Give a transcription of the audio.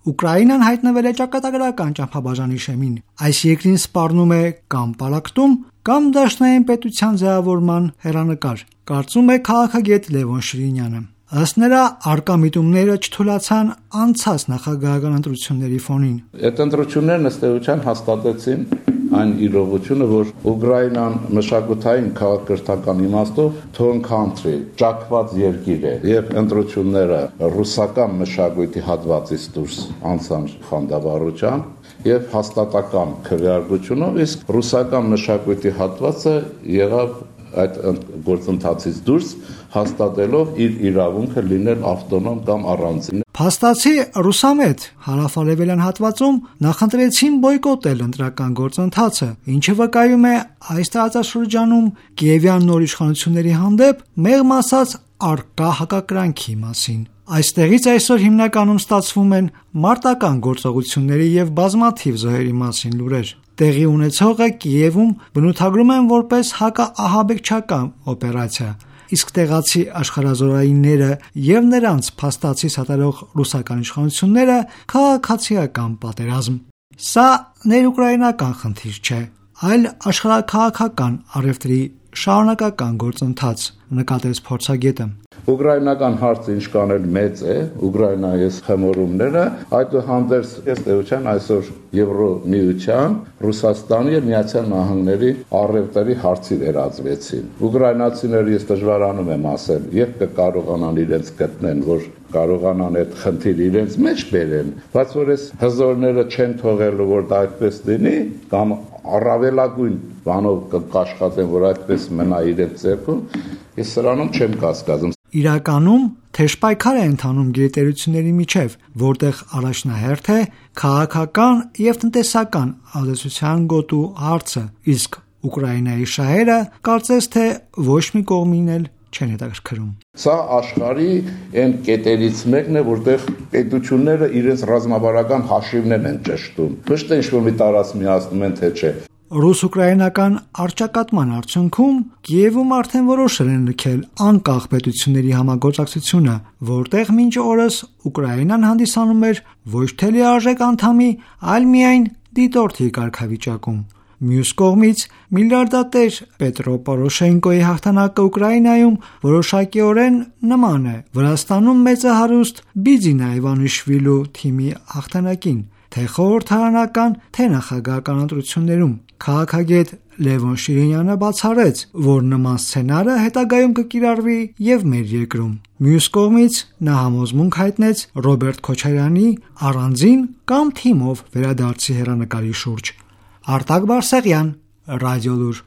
Ուկրաինան հայտնվել է ճակատագրական ճամփաբաժանի շեմին։ Այս երկրին սպառնում է կամ պարակտում, կամ դաշնային պետության ձևավորման հեռանկար, կարծում է քաղաքագետ Լևոն Շիրինյանը։ Ըստ նրա, առկա միտումները չթուլացան անցած նախագահական ընտրությունների ֆոնին։ Այդ ընտրություններն ըստ էության հաստատեցին այն իրողությունը, որ Ուկրաինան մշակութային քաղաքակրթական իմաստով թոն country, ճակված երկիր է, եւ ընտրությունները ռուսական մշակույթի հատվածից դուրս անցան խանդավառությամբ եւ հաստատական քվեարկությունով, իսկ ռուսական մշակույթի հատվածը եղավ այդ գործընթացից դուրս, հաստատելով իր իրավունքը լինել ավտոնոմ կամ առանձին։ Փաստացի ռուսամետ հարավարևելյան հատվածում նախընտրեցին բոյկոտել ընտրական գործընթացը, ինչը վկայում է այս տարածաշրջանում կիևյան նոր իշխանությունների հանդեպ մեղմ ասած առկա հակակրանքի մասին։ Այստեղից այսօր հիմնականում ստացվում են մարտական գործողությունների եւ բազմաթիվ զոհերի մասին լուրեր։ Տեղի ունեցողը Կիևում բնութագրում են որպես հակաահաբեկչական օպերացիա, իսկ տեղացի աշխարհազորայինները եւ նրանց փաստացի սատարող ռուսական իշխանությունները քաղաքացիական պատերազմ։ Սա ներուկրաինական խնդիր չէ, այլ աշխարհաքաղաքական առևտրի շարունակական գործընթաց, նկատեց փորձագետը։ Ուկրաինական հարցը ինչքան էլ մեծ է, Ուկրաինայի խմորումները, այդուհանդերձ ըստ էության այսօր Եվրոմիության, Ռուսաստանի եւ Միացյալ Նահանգների առևտրի հարցի վերածվեցին։ Ուկրաինացիները ես դժվարանում եմ ասել, երբ կկարողանան իրենց գտնեն, որ կարողանան այդ խնդիրը իրենց մեջ բերեն, բայց որ այս հզորները չեն թողելու, որ դա այդպես լինի, կամ առավելագույն բանով կաշխատեն, որ այդպես մնա իրենց ձեռքում, ես սրանում չեմ կասկածում։ Իրականում թեժպայքար է ընթանում գերտերությունների միջև, որտեղ առաջնահերթ է քաղաքական եւ տնտեսական ազդեցության գոտու հարցը, իսկ Ուկրաինայի շահերը կարծես թե ոչ մի կողմին էլ չեն հետաքրքրում։ Սա աշխարհի այն կետերից մեկն է, որտեղ պետությունները իրենց ռազմավարական հաշիվներն են ճշտում։ Ոչ թե ինչ-որ մի տարած միացնում են, թե չէ։ Ռուս-ուկրաինական առճակատման արդյունքում Կիևում արդեն որոշել են լքել անկախ պետությունների համագործակցությունը, որտեղ մինչ օրս Ուկրաինան հանդիսանում էր ոչ թե լիարժեք անդամի, այլ միայն դիտորդի կարգավիճակում։ Մյուս կողմից միլիարդատեր Պետրո Պորոշենկոյի հաղթանակը Ուկրաինայում որոշակիորեն նման է Վրաստանում մեծահարուստ Բիձինա Իվանիշվիլու թիմի հաղթանակին, թե խորհրդարանական, թե նախագահական ընտրություններում։ Քաղաքագետ Լևոն Շիրինյանը բացառեց, որ նման սցենարը հետագայում կկիրառվի եւ մեր երկրում։ Մյուս կողմից նա համոզմունք հայտնեց Ռոբերտ Քոչարյանի առանձին կամ թիմով վերադարձի հեռանկարի շուրջ։ Արտակ Բարսեղյան, Ռադիոլուր։